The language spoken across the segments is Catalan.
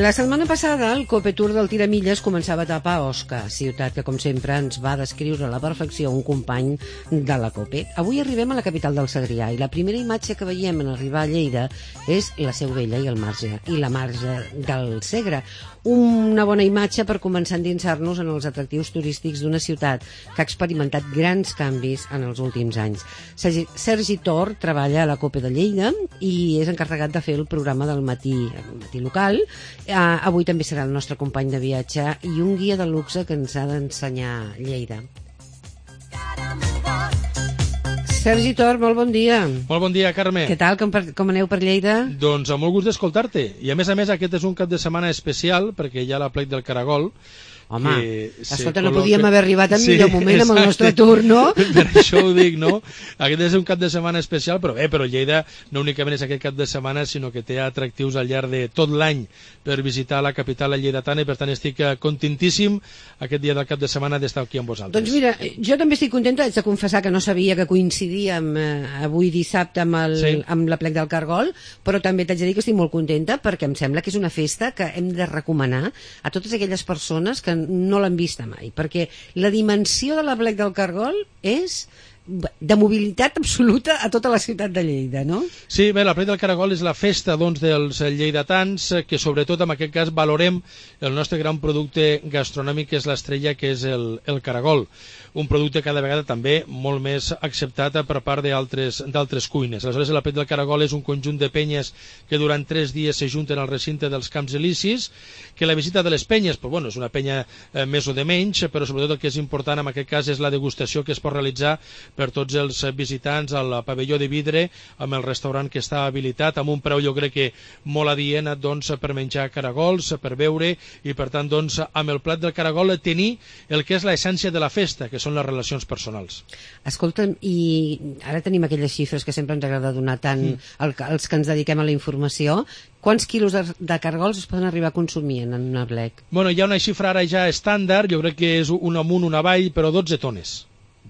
La setmana passada el Cope Tour del Tiramilles començava a etapa a Osca, ciutat que com sempre ens va descriure a la perfecció un company de la Cope. Avui arribem a la capital del Segrià i la primera imatge que veiem en arribar a Lleida és la Seu Vella i el marge, i la marge del Segre. Una bona imatge per començar a endinsar-nos en els atractius turístics d'una ciutat que ha experimentat grans canvis en els últims anys. Sergi Tor treballa a la Cope de Lleida i és encarregat de fer el programa del matí local. Avui també serà el nostre company de viatge i un guia de luxe que ens ha d'ensenyar Lleida. Sergi Tor, molt bon dia. Molt bon dia, Carme. Què tal, com aneu per Lleida? Doncs amb molt gust d'escoltar-te. I a més, aquest és un cap de setmana especial perquè hi ha l'Aplec del Caragol. Home, escolta, no podíem haver arribat en millor moment amb el nostre tour, no? Per això ho dic, no? Aquest és un cap de setmana especial, però Lleida no únicament és aquest cap de setmana, sinó que té atractius al llarg de tot l'any per visitar la capital lleidatana i per tant estic contentíssim aquest dia del cap de setmana d'estar aquí amb vosaltres. Doncs mira, jo també estic contenta, haig de confessar que no sabia que coincidíem avui dissabte amb l'Aplec del Caragol, però també t'haig de dir que estic molt contenta perquè em sembla que és una festa que hem de recomanar a totes aquelles persones que no l'han vista mai, perquè la dimensió de l'Aplec del Caragol és de mobilitat absoluta a tota la ciutat de Lleida, no? Sí, bé, l'Aplec del Caragol és la festa doncs, dels lleidatans que sobretot en aquest cas valorem el nostre gran producte gastronòmic que és l'estrella, que és el caragol. Un producte cada vegada també molt més acceptat per part d'altres cuines. Aleshores, l'Aplec del Caragol és un conjunt de penyes que durant 3 dies s'ajunten al recinte dels Camps Elisis, que la visita de les penyes, és una penya més o de menys, però sobretot el que és important en aquest cas és la degustació que es pot realitzar per tots els visitants al pavelló de vidre, amb el restaurant que està habilitat, amb un preu jo crec que molt adient doncs, per menjar caragols, per beure, i per tant doncs, amb el plat del caragol tenir el que és l'essència de la festa, que són les relacions personals. Escolta'm, i ara tenim aquelles xifres que sempre ens agrada donar tant als que ens dediquem a la informació. Quants quilos de caragols es poden arribar a consumir en un aplec? Bueno, hi ha una xifra ara ja estàndard, jo crec que és un amunt, un avall, però 12 tones.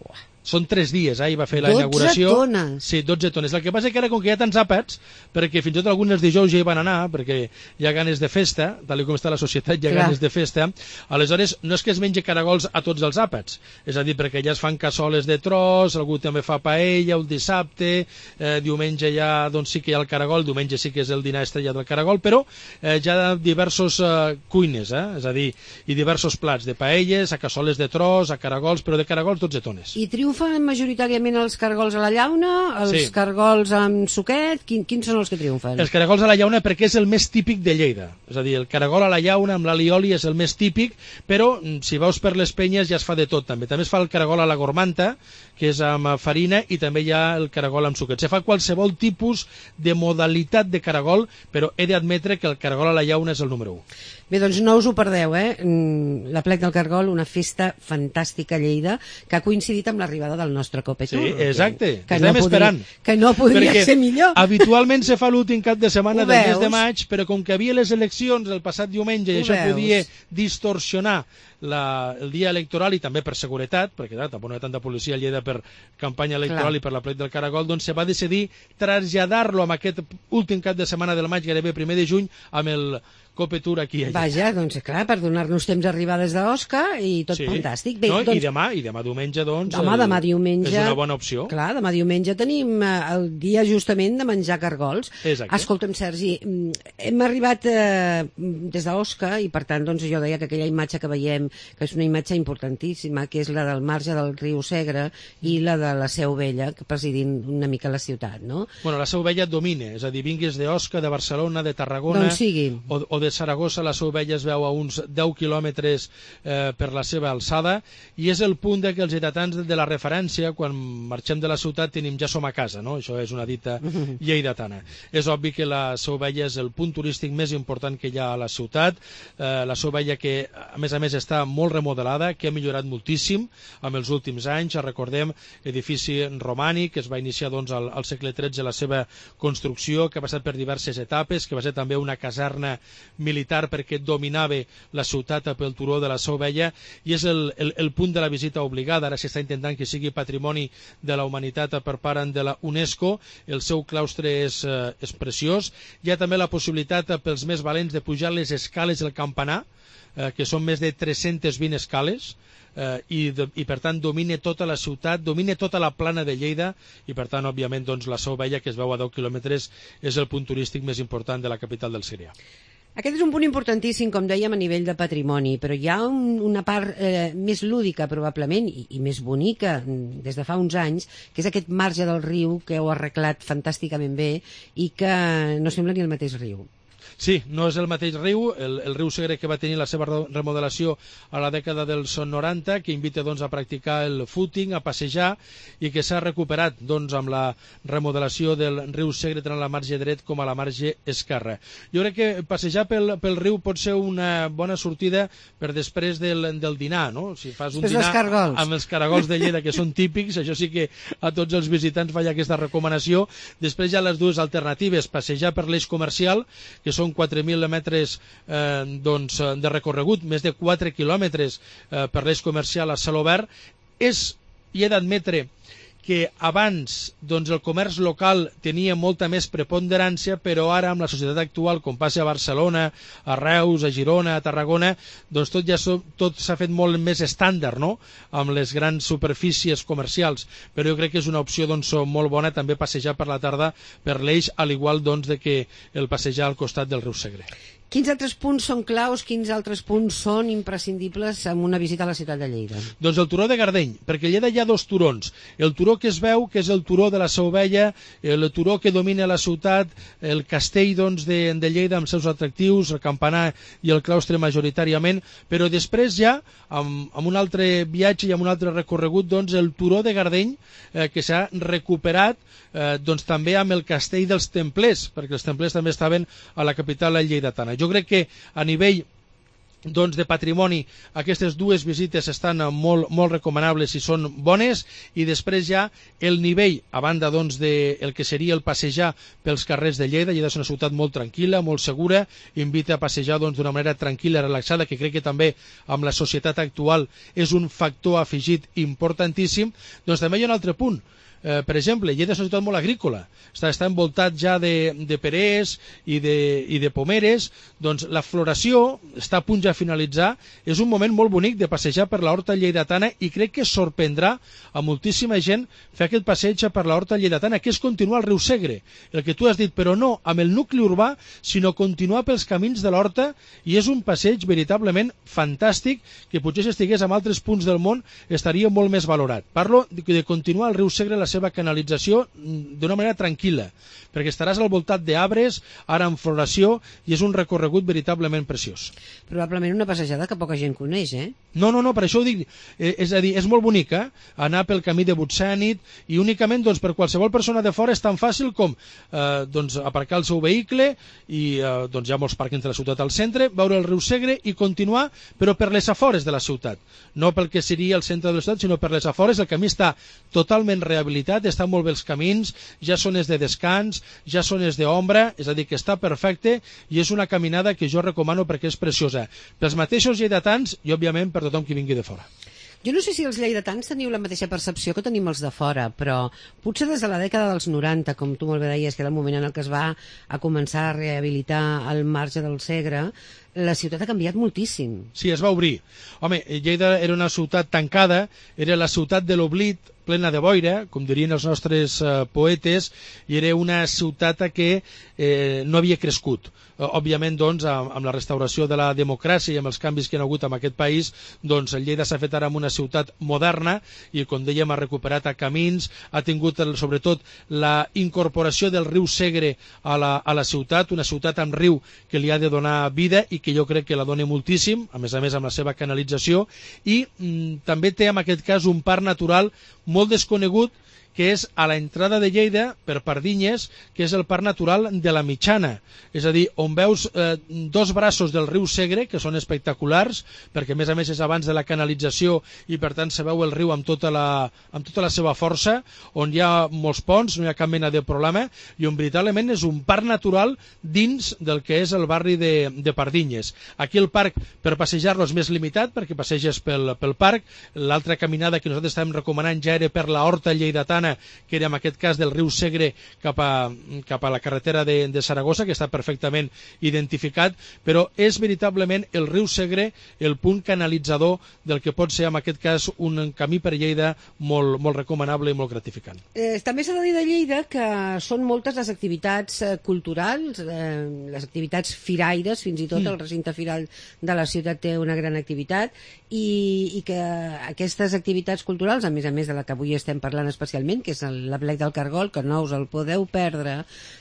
Buah. Són 3 dies, va fer la inauguració. 12 tones? Sí, 12 tones. El que passa que ara, com que hi ha tants àpats, perquè fins i tot alguns dijous ja hi van anar, perquè hi ha ganes de festa, tal com està la societat, hi ha ganes de festa, aleshores no és que es mengi caragols a tots els àpats, és a dir, perquè ja es fan cassoles de tros, algú també fa paella, el dissabte, diumenge ja doncs sí que hi ha el caragol, diumenge sí que és el dinar estrella del caragol, però ja ha diversos cuines, és a dir, i diversos plats de paelles, a cassoles de tros, a caragols, però de caragols 12 tones. I triomfen majoritàriament els caragols a la llauna, els caragols amb suquet, quins són els que triomfen? Els caragols a la llauna perquè és el més típic de Lleida, és a dir, el caragol a la llauna amb l'alioli és el més típic, però si veus per les penyes ja es fa de tot també es fa el caragol a la gormanta, que és amb farina, i també hi ha el caragol amb suquet. Se fa qualsevol tipus de modalitat de caragol, però he d'admetre que el caragol a la llauna és el número 1. Bé, doncs no us ho perdeu, l'Aplec del Caragol, una festa fantàstica a Lleida, que ha coincidit amb l'arribada del nostre Cope Tour. Sí, exacte, que estem esperant. Que no podria ser millor. Habitualment se fa l'últim cap de setmana del mes de maig, però com que havia les eleccions el passat diumenge i això podia distorsionar el dia electoral i també per seguretat, perquè tampoc no hi ha tanta policia a Lleida per campanya electoral i per l'Aplec del Caragol, doncs se va decidir traslladar-lo amb aquest últim cap de setmana del maig, gairebé primer de juny, amb el Cope Tour aquí a Lleida. Vaja, doncs clar, per donar-nos temps d'arribar des d'Osca i tot fantàstic. Bé, i demà diumenge, doncs, demà diumenge, és una bona opció. Clar, demà diumenge tenim el dia justament de menjar cargols. Exacte. Escolta'm, Sergi, hem arribat des d'Osca i per tant, doncs jo deia que aquella imatge que veiem, que és una imatge importantíssima, que és la del marge del riu Segre i la de la Seu Vella, que presidint una mica la ciutat, no? Bueno, la Seu Vella domina, és a dir, vinguis d'Osca, de Barcelona, de Tarragona, doncs sigui. O de Saragossa, la Seu Vella es veu a uns 10 quilòmetres per la seva alçada, i és el punt que els lleidatans de la referència, quan marxem de la ciutat, tenim ja som a casa, no? Això és una dita lleidatana. És obvi que la Seu Vella és el punt turístic més important que hi ha a la ciutat, la Seu Vella que, a més, està està molt remodelada, que ha millorat moltíssim amb els últims anys. Recordem, edifici romànic, que es va iniciar doncs, al segle XIII la seva construcció, que ha passat per diverses etapes, que va ser també una caserna militar perquè dominava la ciutat pel turó de la Seu Vella, i és el punt de la visita obligada. Ara s'està intentant que sigui patrimoni de la humanitat per part de la UNESCO. El seu claustre és preciós. Hi ha també la possibilitat pels més valents de pujar les escales del campanar, que són més de 320 escales, i per tant domina tota la ciutat, domina tota la plana de Lleida, i per tant òbviament doncs, la Seu Vella, que es veu a 10 quilòmetres, és el punt turístic més important de la capital del Segrià. Aquest és un punt importantíssim, com dèiem, a nivell de patrimoni, però hi ha una part més lúdica, probablement, i més bonica des de fa uns anys, que és aquest marge del riu que heu arreglat fantàsticament bé i que no sembla ni el mateix riu. Sí, no és el mateix riu, el riu Segre, que va tenir la seva remodelació a la dècada dels 90, que invita doncs, a practicar el footing, a passejar, i que s'ha recuperat doncs, amb la remodelació del riu Segre tant a la marge dret com a la marge esquerra. Jo crec que passejar pel riu pot ser una bona sortida per després del dinar, no? Si fas un dinar amb els caragols de Lleida, que són típics, això sí que a tots els visitants faig aquesta recomanació. Després hi ha les dues alternatives, passejar per l'eix comercial, que són 4.000 metres de recorregut, més de 4 quilòmetres per l'eix comercial a cel obert. Hi he d'admetre que abans doncs, el comerç local tenia molta més preponderància, però ara amb la societat actual, com passa a Barcelona, a Reus, a Girona, a Tarragona, doncs tot s'ha fet molt més estàndard, no?, amb les grans superfícies comercials, però jo crec que és una opció doncs, molt bona també passejar per la tarda per l'eix, al igual doncs, de que el passejar al costat del riu Segre. Quins altres punts són claus, quins altres punts són imprescindibles en una visita a la ciutat de Lleida? Doncs el turó de Gardeny, perquè a Lleida hi ha dos turons. El turó que es veu, que és el turó de la Seu Vella, el turó que domina la ciutat, el castell doncs, de Lleida amb seus atractius, el campanar i el claustre majoritàriament, però després ja, amb un altre viatge i amb un altre recorregut, doncs, el turó de Gardeny, que s'ha recuperat doncs, també amb el castell dels Templers, perquè els Templers també estaven a la capital lleidatana. Jo crec que a nivell doncs, de patrimoni aquestes dues visites estan molt recomanables i són bones, i després ja el nivell, a banda doncs, del que seria el passejar pels carrers de Lleida. Lleida és una ciutat molt tranquil·la, molt segura, invita a passejar doncs, d'una manera tranquil·la, relaxada, que crec que també amb la societat actual és un factor afegit importantíssim. Doncs també hi ha un altre punt. Per exemple, Lleida és una ciutat molt agrícola, està envoltat ja de perers i de pomeres, doncs la floració està a punt ja a finalitzar. És un moment molt bonic de passejar per la horta lleidatana, i crec que sorprendrà a moltíssima gent fer aquest passeig per la horta lleidatana, que és continuar el riu Segre, el que tu has dit, però no amb el nucli urbà, sinó continuar pels camins de l'horta, i és un passeig veritablement fantàstic, que potser si estigués en altres punts del món estaria molt més valorat. Parlo de continuar el riu Segre, la seva canalització, d'una manera tranquil·la, perquè estaràs al voltat d'arbres, ara en floració, i és un recorregut veritablement preciós. Probablement una passejada que poca gent coneix, eh? No, per això ho dic. És a dir, és molt bonica, anar pel camí de Butsènit, i únicament doncs, per qualsevol persona de fora és tan fàcil com doncs, aparcar el seu vehicle, i doncs, hi ha molts pàrquings de la ciutat al centre, veure el riu Segre i continuar, però per les afores de la ciutat. No pel que seria el centre de la ciutat, sinó per les afores. El camí està totalment rehabilitat, estan molt bé els camins, ja zones de descans, ja zones d'ombra, és a dir, que està perfecte, i és una caminada que jo recomano perquè és preciosa pels mateixos lleidatans i òbviament per tothom qui vingui de fora. Jo no sé si els lleidatans teniu la mateixa percepció que tenim els de fora, però potser des de la dècada dels 90, com tu molt bé deies, que era el moment en el que es va a començar a rehabilitar el marge del Segre, la ciutat ha canviat moltíssim. Sí, es va obrir. Home, Lleida era una ciutat tancada, era la ciutat de l'oblit, plena de boira, com dirien els nostres poetes, i era una ciutat que no havia crescut. Òbviament, doncs, amb la restauració de la democràcia i amb els canvis que hi ha hagut en aquest país, doncs Lleida s'ha fet ara amb una ciutat moderna, i com dèiem, ha recuperat camins, ha tingut sobretot la incorporació del riu Segre a la ciutat, una ciutat amb riu que li ha de donar vida i que jo crec que la dona moltíssim, a més amb la seva canalització, i també té en aquest cas un parc natural molt desconegut, que és a l'entrada de Lleida, per Pardinyes, que és el Parc Natural de la Mitjana. És a dir, on veus dos braços del riu Segre, que són espectaculars, perquè a més és abans de la canalització i per tant se veu el riu amb tota la seva força, on hi ha molts ponts, no hi ha cap mena de problema, i on veritablement és un parc natural dins del que és el barri de Pardinyes. Aquí el parc, per passejar-lo, és més limitat, perquè passeges pel parc. L'altra caminada que nosaltres estàvem recomanant ja era per la horta lleidatana, que era en aquest cas del riu Segre cap a la carretera de Saragossa, que està perfectament identificat, però és veritablement el riu Segre el punt canalitzador del que pot ser en aquest cas un camí per Lleida molt, molt recomanable i molt gratificant. També s'ha de dir de Lleida que són moltes les activitats culturals, les activitats firaires, fins i tot el recinte firal de la ciutat té una gran activitat, i que aquestes activitats culturals, a més de la que avui estem parlant especialment, que és l'Aplec del Cargol, que no us el podeu perdre,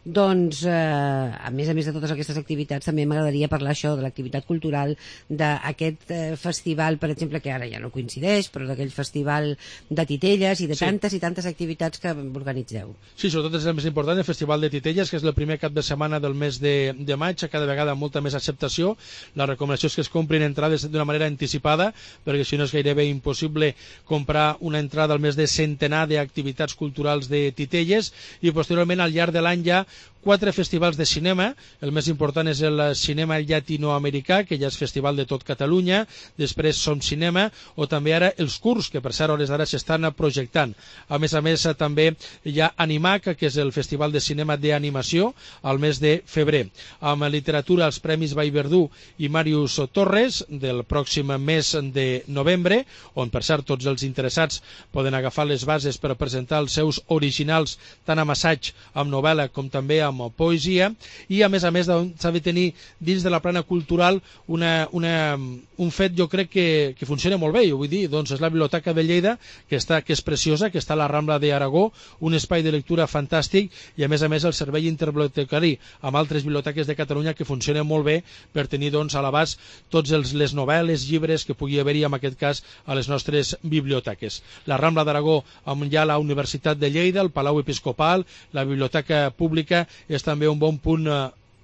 doncs a més de totes aquestes activitats també m'agradaria parlar això de l'activitat cultural, d'aquest festival, per exemple, que ara ja no coincideix, però d'aquell festival de titelles i de tantes i tantes activitats que organitzeu. Sí, sobretot és el més important, el Festival de Titelles, que és el primer cap de setmana del mes de maig, cada vegada amb molta més acceptació. La recomanació és que es comprin entrades d'una manera anticipada, perquè si no és gairebé impossible comprar una entrada al mes de centenar d'activitats culturals de Titelles, i posteriorment al llarg de l'any hi ha 4 festivals de cinema. El més important és el cinema llatinoamericà, que ja és festival de tot Catalunya, després Som Cinema, o també ara els Curs, que per cert a hores d'ara s'estan projectant. A més, també hi ha Animac, que és el festival de cinema d'animació, al mes de febrer. Amb literatura, els Premis Vallverdú i Màrius Torres, del pròxim mes de novembre, on per cert tots els interessats poden agafar les bases per presentar els seus originals, tant amb assaig, amb novel·la, com també amb poesia, i a més s'ha de tenir dins de la plana cultural un fet, jo crec que funciona molt bé, vull dir, doncs és la Biblioteca de Lleida, que és preciosa, que està a la Rambla d'Aragó, un espai de lectura fantàstic, i a més el servei interbibliotecari amb altres biblioteques de Catalunya que funciona molt bé per tenir doncs a l'abast tots les novel·les, llibres que pugui haver-hi en aquest cas a les nostres biblioteques. La Rambla d'Aragó, on hi ha la Universitat de Lleida, el Palau Episcopal, la Biblioteca Pública, és també un bon punt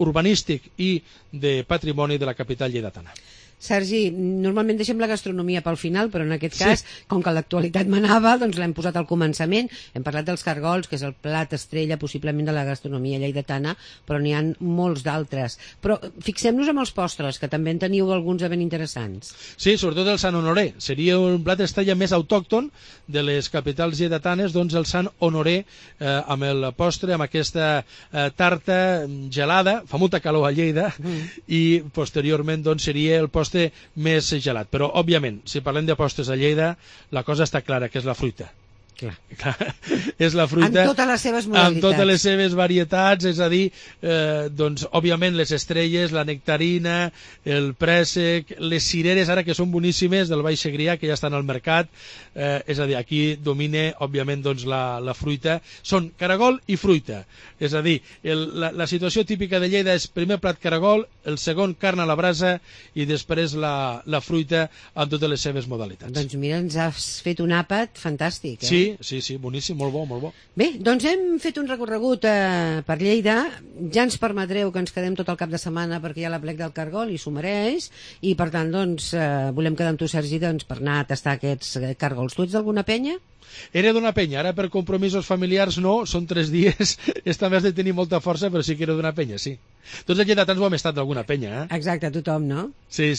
urbanístic i de patrimoni de la capital lleidatana. Sergi, normalment deixem la gastronomia pel final, però en aquest cas, com que l'actualitat manava, doncs l'hem posat al començament. Hem parlat dels cargols, que és el plat estrella possiblement de la gastronomia lleidatana, però n'hi ha molts d'altres. Però fixem-nos en els postres, que també en teniu alguns de ben interessants. Sí, sobretot el Sant Honoré. Seria un plat estrella més autòcton de les capitals lleidatanes, doncs el Sant Honoré, amb el postre, amb aquesta tarta gelada, fa molta calor a Lleida, i posteriorment doncs seria el postre més gelat. Però, òbviament, si parlem de postres a Lleida, la cosa està clara, que és la fruita. Clar. És la fruita amb totes les seves modalitats, amb totes les seves varietats, és a dir, doncs òbviament les estrelles, la nectarina, el préssec, les cireres ara que són boníssimes del Baix Segrià, que ja estan al mercat, és a dir, aquí domina òbviament doncs la fruita, són caragol i fruita, és a dir, la situació típica de Lleida és primer plat caragol, el segon carn a la brasa i després la fruita amb totes les seves modalitats. Doncs mira, ens has fet un àpat fantàstic, Sí, boníssim, molt bo, molt bo. Bé, doncs hem fet un recorregut per Lleida. Ja ens permetreu que ens quedem tot el cap de setmana perquè hi ha l'Aplec del Cargol i s'ho mereix, i per tant doncs volem quedar amb tu, Sergi, doncs, per anar a tastar aquests cargols. Tu ets d'alguna penya? Era d'una penya, ara per compromisos familiars no, són 3 dies, esta més de tenir molta força, però sí que era d'una penya, sí. Tots els lleidatans ho hem estat d'alguna penya, Exacte, tothom, no? Sí.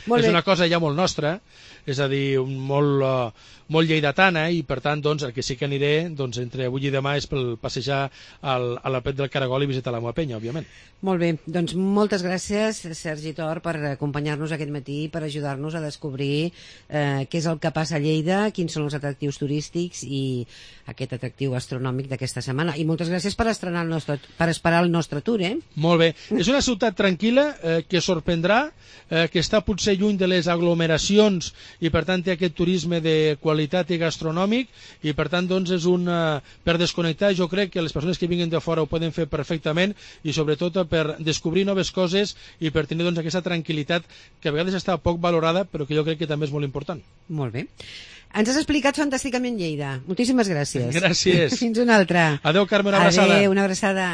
Molt bé. És una cosa ja molt nostra, és a dir, molt lleidatana, i per tant, doncs, el que sí que aniré doncs, entre avui i demà és per passejar a l'Aplec del Caragol i visitar la meva penya, òbviament. Molt bé, doncs moltes gràcies, Sergi Tor, per acompanyar-nos aquest matí, per ajudar-nos a descobrir què és el que passa a Lleida, quins són els atractius turístics i aquest atractiu gastronòmic d'aquesta setmana. I moltes gràcies per esperar el nostre tour, Molt bé. És una ciutat tranquil·la, que sorprendrà, que està potser lluny de les aglomeracions i per tant té aquest turisme de qualitat i gastronòmic, i per tant doncs és per desconnectar. Jo crec que les persones que vinguin de fora ho poden fer perfectament, i sobretot per descobrir noves coses i per tenir doncs aquesta tranquil·litat que a vegades està poc valorada, però que jo crec que també és molt important. Molt bé. Ens has explicat fantàsticament Lleida. Moltíssimes gràcies. Gràcies. Fins una altra. Adéu, Carme, una abraçada. Adéu, una abraçada.